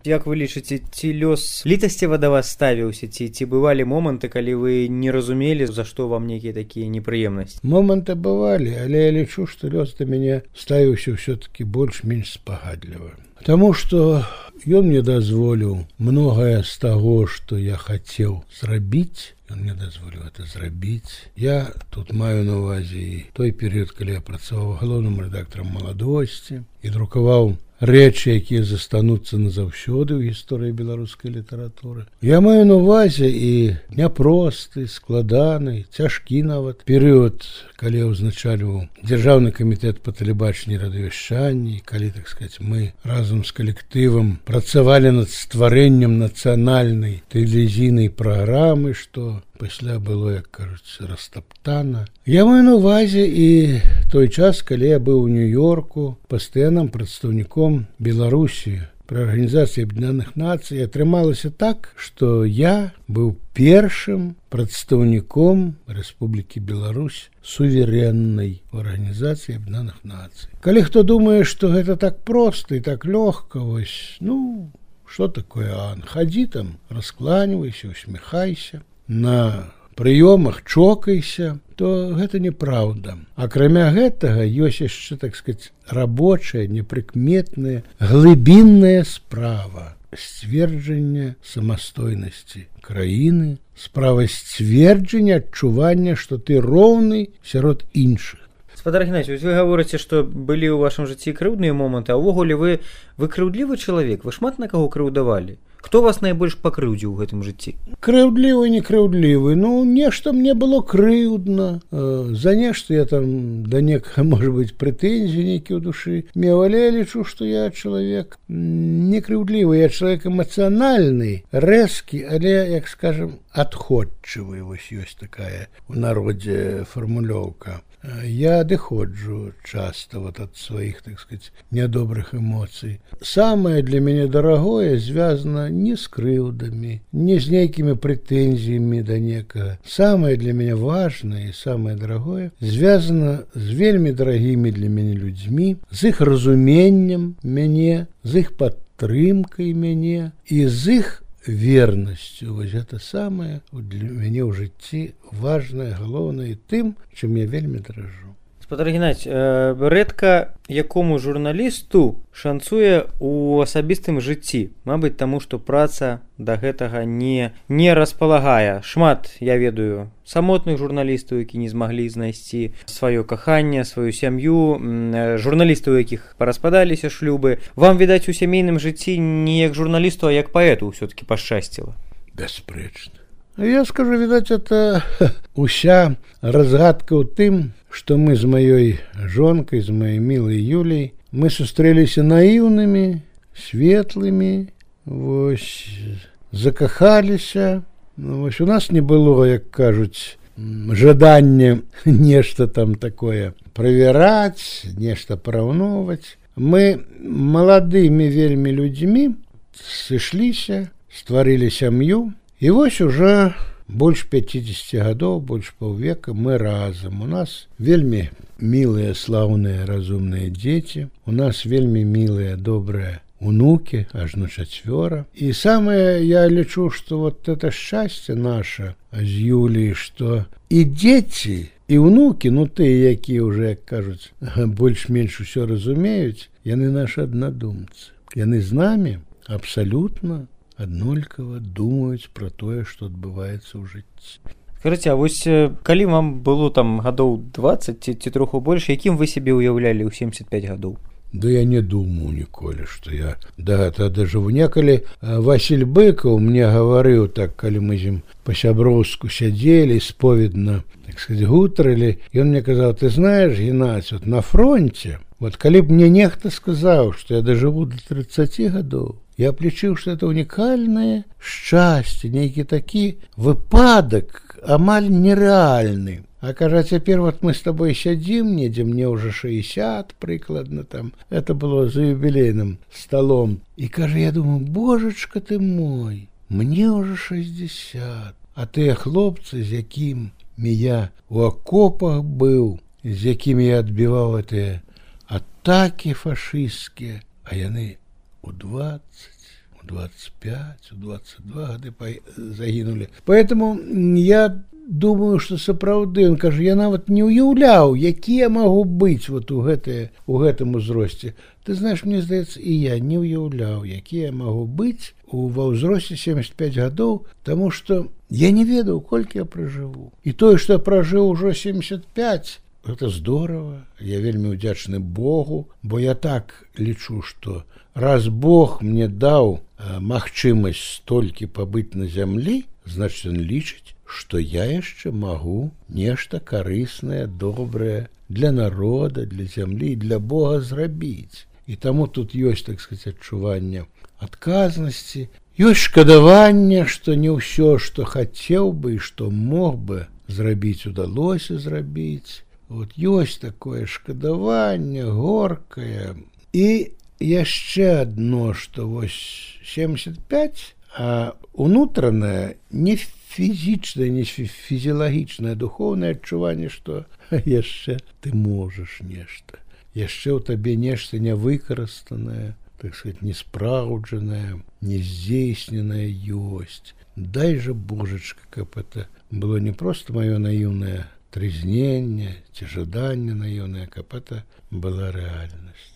Як вы лічыце, ці лёс літасціва да вас ставіўся, ці бывалі моманты, калі вы не разумелі, за што вам нейкія такія непрыемнасці? Моманты бывалі, але я лічу, што лёс да мяне ставіўся ўсё-такі больш-менш спагадліва. Таму што ён мне дазволіў многае з таго, што я хацеў зрабіць, ён мне дазволіў это зрабіць. Я тут маю на ўвазе і той перыяд, калі я працаваў галоўным рэдактарам «Маладосці» і друкаваў рэчы, якія застануцца назаўсёды ў гісторыі беларускай літаратуры. Я маю на ўвазе і няпросты, складаны, цяжкі нават перыяд, калі я ўзначальваў Дзяржаўны камітэт па тэлебачанні і радыёвяшчанні, калі, так сказаць, мы разам з калектывам працавалі над стварэннем нацыянальнай тэлевізійнай праграмы, што пасля было, як кажуць, растаптана. Я маю на ўвазе і той час, калі я быў у Нью-Йорку пастаянным прадстаўніком Беларусі пры Арганізацыі Аб'яднаных Нацый. Атрымалася так, што я быў першым прадстаўніком Рэспублікі Беларусь суверэннай у Арганізацыі Аб'яднаных Нацый. Калі хто думае, што гэта так проста і так лёгка, вось, што такое, Ан? Хадзі там, раскланівайся, усміхайся, на прыёмах чокайся, то гэта неправда. Акрамя гэтага ёсць яшчэ, так сказаць, рабочая, непрыкметная, глыбінная справа сцверджання самастойнасці краіны, справа сцверджання адчування, што ты роўны сярод іншых. Спадар Геннадзій, вы гаворыце, што былі ў вашым жыцці крыўдныя моманты, а ўвогуле вы крыўдлівы чалавек, вы шмат на каго крыўдавалі? Хто вас найбольш пакрыўдзіў у гэтым жыцці? Крыўдлівы, не крыўдлівы. Нешта мне было крыўдна. За нешта я там да некага, можа быць, прэтэнзіі нейкія ў душы меў, але я лічу, што я чалавек не крыўдлівы, я чалавек эмацыянальны, рэзкі, але, як скажам, адходчывы. Вось ёсць такая у народзе фармулёўка. Я адыходжу часта ад сваіх, так сказать, нядобрых эмоцый. Самае для мяне дарагое звязана не з крыўдамі, не з нейкімі прэтэнзіямі да некага. Самае для мяне важнае і самае дарагое звязана з вельмі дарагімі для мяне людзьмі, з іх разуменнем мяне, з іх падтрымкай мяне і з іх вернасцю. Вось гэта самае для мяне ў жыцці важнае, галоўнае, тым, чым я вельмі даражу. Спадар Геннадзій, рэдка якому журналісту шанцуе ў асабістым жыцці. Мабыць, таму, што праца да гэтага не распалагае. Шмат, я ведаю, самотных журналістаў, які не змаглі знайсці сваё каханне, сваю сям'ю, журналістаў, якіх параспадаліся шлюбы. Вам, відаць, у сямейным жыцці не як журналісту, а як паэту ўсё-такі пашчасціла. Бясспрэчна. Я скажу, відаць, это уся разгадка ў тым, што мы з маёй жонкай, з маёй мілай Юляй, мы сустрэліся наіўнымі, светлымі, вось, закахаліся. Вось у нас не было, як кажуць, жадання нешта там такое правяраць, нешта параўноўваць. Мы маладымі вельмі людзьмі сышліся, стварылі сям'ю, і вось уже больш 50 гадоў, больш паўвека мы разам. У нас вельмі мілыя, слаўныя, разумныя дзеці, у нас вельмі мілыя, добрыя унукі, ажно 4. І самае, я лічу, што вот это шчасце наша з Юліяй, што і дзеці, і унукі, тыя, якія ўжо, як кажуць, больш-менш усё разумеюць, яны нашы аднадумцы. Яны з намі абсалютна аднолькава думаюць пра тое, што адбываецца ў жыцці. Скажыце, а вось калі вам было там гадоў 20 ці троху больш, якім вы сябе ўяўлялі ў 75 гадоў? Да я не думаю ніколі, што я да гэтага дажыву. Некалі Васіль Быкаў мне гаварыў так, калі мы з ім па-сяброўску сядзелі, споведна, так сказаць, гутарылі, ён мне казаў: ты знаеш, Геннадзь, вот на фронте, вот калі б мне нехта сказаў, што я дажыву до 30 гадоў, я б лічыў, што это унікальнае шчасце, нейкі такі выпадак амаль нерэальны. А кажа, цяпер вот мы с тобой сядзім недзе, мне ўжо 60 прыкладна там, это было за юбілейным столом, і кажа, я думаю, божачка ты мой, мне ўжо 60, а тыя хлопцы, з якімі я у акопах быў, з якімі я адбіваў гэтыя атакі фашысцкія, а яны у 20, у 25, у 22 гады загінулі. Поэтому я думаю, што сапраўды, он кажа, я нават не ўяўляў, якія магу быць вот у гэтым узросце. Ты знаешь, мне здаецца, і я не ўяўляў, якія магу быць ва ўзросце 75 гадоў, таму што я не ведаў, колькі я пражыву. І тое, што я пражыў ужо 75, гэта здорава. Я вельмі ўдзячны Богу, бо я так лічу, што раз Бог мне даў магчымасць столькі пабыць на зямлі, значыць, ён лічыць, што я яшчэ магу нешта карыснае, добрае для народа, для зямлі, для Бога зрабіць. І таму тут ёсць, так сказаць, адчуванне адказнасці, ёсць шкадаванне, што не ўсё, што хацеў бы і што мог бы зрабіць, удалося зрабіць. Вот ёсць такое шкадаванне горкае. І яшчэ адно, што вось 75, а унутранае, не фізічнае, не фізіялагічнае, духоўнае адчуванне, што яшчэ ты можаш нешта. Яшчэ ў табе нешта нявыкарыстанае, так сказать, неспраўджанае, нездзейсненае ёсць. Дай же, Божачка, каб это было не проста маё наіўнае трызненне ці жаданне наіўнае, каб это была рэальнасць.